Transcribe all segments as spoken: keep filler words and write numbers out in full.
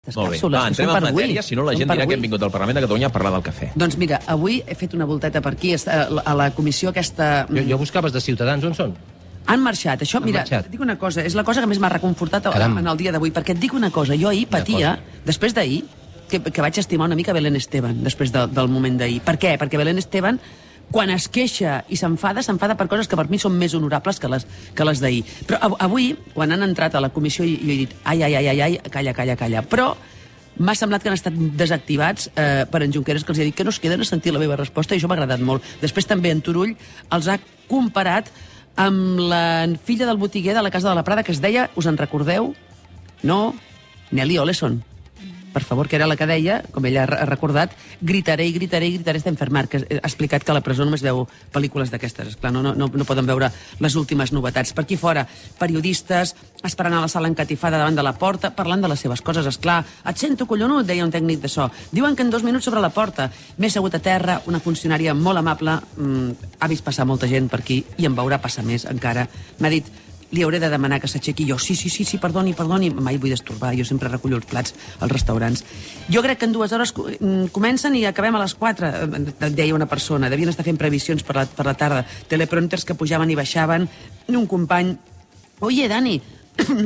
Molt bé. Va, entrem en matèria, si no la gent dirà que hem vingut al Parlament de Catalunya a parlar del cafè. Doncs mira, avui he fet una volteta per aquí, a la comissió aquesta... Jo, jo buscaves de Ciutadans, on són? Han marxat. Això, Han mira, marxat. et dic una cosa, és la cosa que més m'ha reconfortat Caram. en el dia d'avui, perquè et dic una cosa, jo ahir patia, després d'ahir, que, que vaig estimar una mica Belén Esteban, després de, del moment d'ahir. Per què? Perquè Belén Esteban, quan es queixa i s'enfada, s'enfada per coses que per mi són més honorables que les, que les d'ahir. Però av avui, quan han entrat a la comissió, jo he dit, ai, ai, ai, ai, ai, calla, calla, calla. Però m'ha semblat que han estat desactivats eh, per en Junqueras, que els ha dit que no es queden a sentir la meva resposta, i això m'ha agradat molt. Després també en Turull els ha comparat amb la filla del botiguer de la Casa de la Prada, que es deia, us en recordeu? No? Nelly Oleson. Per favor, que era la que deia, com ella ha recordat, gritaré i gritaré i gritaré està enfermar, que ha explicat que a la presó només veu pel·lícules d'aquestes. Esclar, no, no, no poden veure les últimes novetats. Per aquí fora, periodistes esperant a la sala encatifada davant de la porta, parlant de les seves coses. Esclar, et sento collonut, deia un tècnic de so. Diuen que en dos minuts sobre la porta. M'he assegut a terra, una funcionària molt amable, mmm, ha vist passar molta gent per aquí i en veurà passar més encara. M'ha dit, li hauré de demanar que s'aixequi. Jo, sí, sí, sí, sí, perdoni, perdoni. Mai vull destorbar, jo sempre recullo els plats als restaurants. Jo crec que en dues hores comencen i acabem a les quatre, deia una persona. Devien estar fent previsions per la, per la tarda. Teleprompters que pujaven i baixaven. Un company, oye, Dani,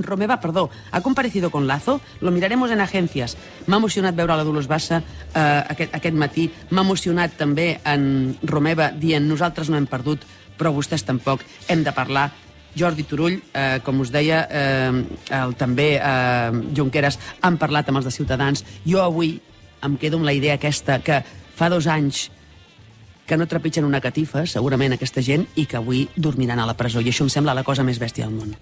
Romeva, perdó, ha comparecido con Lazo? Lo miraremos en agencias. M'ha emocionat veure la Dolors Bassa eh, aquest, aquest matí. M'ha emocionat també en Romeva dient nosaltres no hem perdut, però vostès tampoc. Hem de parlar. Jordi Turull, eh, com us deia, eh, el, també eh, Junqueras, han parlat amb els de Ciutadans. Jo avui em quedo amb la idea aquesta que fa dos anys que no trepitgen una catifa, segurament, aquesta gent, i que avui dormiran a la presó. I això em sembla la cosa més bèstia del món.